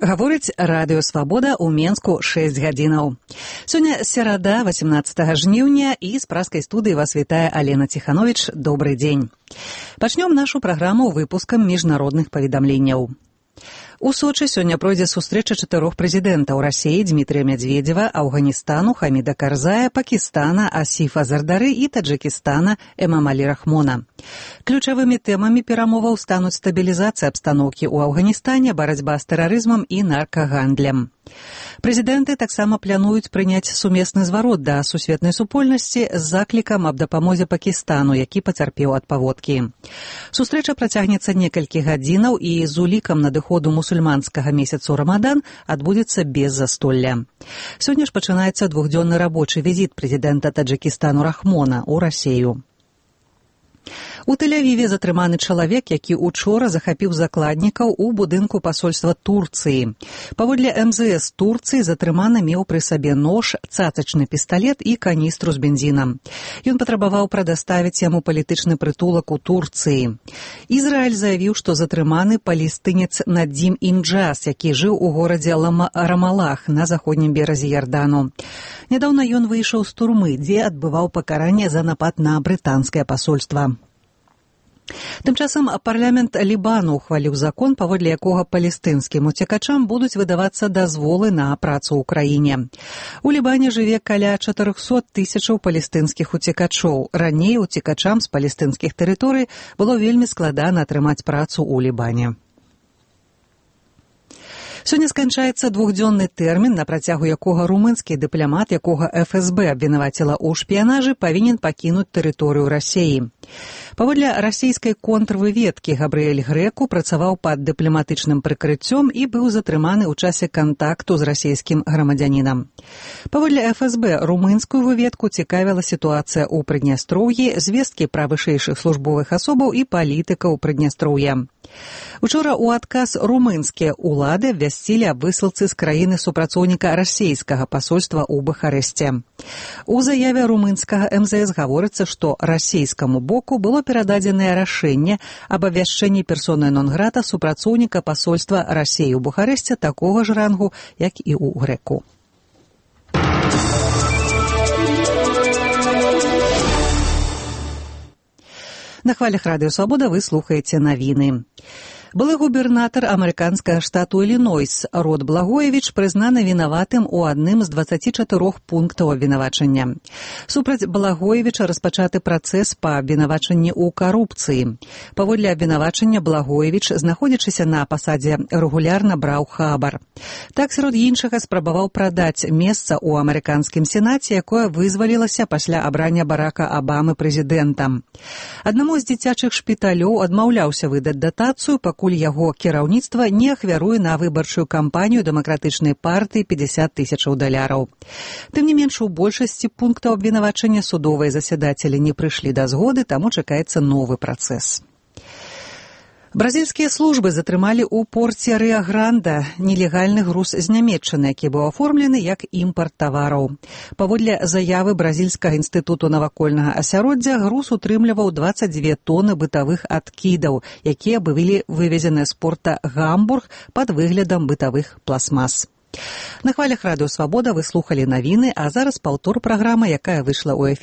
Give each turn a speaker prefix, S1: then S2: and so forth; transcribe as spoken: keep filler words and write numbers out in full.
S1: Гаворыць радыё «Свабода» ў Менску шэсць гадзінаў. Сёння серада, васемнаццатага жніўня, і з праскай студыі вас вітае Алена Ціхановіч. Добрый дзень. Пачнём нашу праграму выпускам міжнародных паведамленняў. У Сочы сёння пройдзе сустрэча чатырох прэзідэнтаў Расіі Дмітрія Мядзведзева, Афганістану Хаміда Карзая, Пакістана Асіфа Зардары і Таджыкістана Эмамалі Рахмона. Ключавымі тэмамі перамоваў стануць стабілізацыя абстаноўкі ў Афганістане, барацьба з тэрарызмам і наркагандлем. Прэзідэнты таксама плануюць прыняць сумесны зварот да сусветнай супольнасці з заклікам аб дапамозе Пакістану, які пацярпеў ад паводкі. Сустрэча працягнецца некалькі гадзінаў і з улікам надыходу мусульманскага месяцу Рамадан адбудзецца без застолля. Сёння ж пачынаецца двухдзённы рабочы візіт прэзідэнта Таджыкістану Рахмона ў Расію. У Тель-Авіве затрыманы чалавек, які учора захапіў закладнікаў у будынку пасольства Турцыі. Паводле эм зэ эс Турцыі затрыманы меў пры сабе нож, цацачны пісталет і каністру з бензінам. Ён патрабаваў прадаставіць яму палітычны прытулак у Турцыі. Ізраіль заявіў, што затрыманы палестынец Надзім Інджас, які жыў у горадзе Рамалах на заходнім беразе Ярдану. Нядаўна ён выйшаў з турмы, дзе адбываў пакаранне за напад на брытанскае пасольства. Тым часам парламент Лібану ухваліў закон, паводле якога палестынскім уцекачам будуць выдавацца дазволы на працу ў краіне. У Лібане жыве каля чатырохсот тысячаў палестынскіх уцекачоў. Раней уцекачам з палестынскіх тэрыторый было вельмі складана атрымаць працу ў Лібане. Сёння сканчаецца двухдзённы тэрмін, на працягу якога румынскі дыпламат, якога эф эс бэ абвінаваціла ў шпіянажы, павінен пакінуць тэрыторыю Расіі. Паводле расійскай контрвыведкі Габрыэль Грэку працаваў пад дыпламатычным прыкрыццём і быў затрыманы ў часе кантакту з расійскім грамадзянінам. Паводле эф эс бэ румынскую выведку цікавіла сітуацыя ў Прыднястроўі, звесткі пра вышэйшых службовых асобаў і палітыкаў Прыднястроўя. Учора ў адказ румынскія ўлады абвясцілі аб высылцы з краіны супрацоўніка расійскага пасольства ў Бухарэсце. У заяве румынскага эм зэ эс гаворыцца, што расійскаму боку было перададзенае рашэнне аб абвяшчэнні персоны нон-грата супрацоўніка пасольства Расіі ў Бухарэсце такога ж рангу, як і ў Грэку. На хвалях радыё «Свабода» вы слухаеце навіны. Былы губернатар амерыканскага штату Ілінойс Род Благоевіч прызнаны вінаватым у адным з дваццаці чатырох пунктаў абвінавачання. Супраць Благоевіча распачаты працэс па абвінавачанні ў карупцыі. Паводле абвінавачання Благоевіч, знаходзячыся на пасадзе, рэгулярна браў хабар. Так, сярод іншага, спрабаваў прадаць месца ў амерыканскім сенаце, якое вызвалілася пасля абрання Барака Абамы прэзідэнтам. Аднаму з дзіцячых шпіталёў адмаўляўся выдаць датацыю, пакуль яго кіраўніцтва не ахвяруе на выбарчую кампанію дэмакратычнай партыі пятьдесят тысячаў даляраў. Тым не менш, у большасці пунктаў абвінавачання судовыя засядацелі не прыйшлі да згоды, таму чакаецца новы працэс. Бразільскія службы затрымалі ў порце Рыа-Гранда нелегальны груз з Нямецчыны, які быў аформлены як імпарт тавараў. Паводле заявы Бразільскага інстытуту навакольнага асяроддзя, груз утрымліваў дваццаць дзве тоны бытавых адкідаў, якія былі вывезены з порта Гамбург пад выглядам бытавых пластмас. На хвалях радыё «Свабода» вы слухалі навіны, а зараз паўтор праграмы, якая выйшла ў эфір